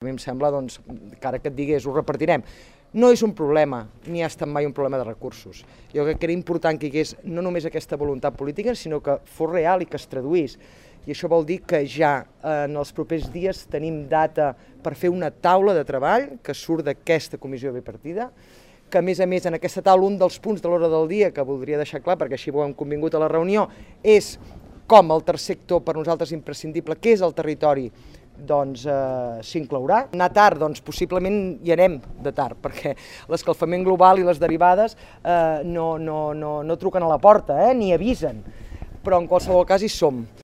A mi em sembla, doncs, que ara que et digués, ho repartirem. No és un problema, ni ha estat mai un problema de recursos. Jo crec que era important que hi hagués no només aquesta voluntat política, sinó que fos real i que es traduís. I això vol dir que ja en els propers dies tenim data per fer una taula de treball que surt d'aquesta comissió bipartida, que a més en aquesta taula un dels punts de l'hora del dia que voldria deixar clar, perquè així ho hem convingut a la reunió, és com el tercer sector per nosaltres imprescindible, que és el territori, doncs s'inclourà. Anar tard, doncs possiblement hi anem de tard, perquè l'escalfament global i les derivades no truquen a la porta, ni avisen, però en qualsevol cas hi som.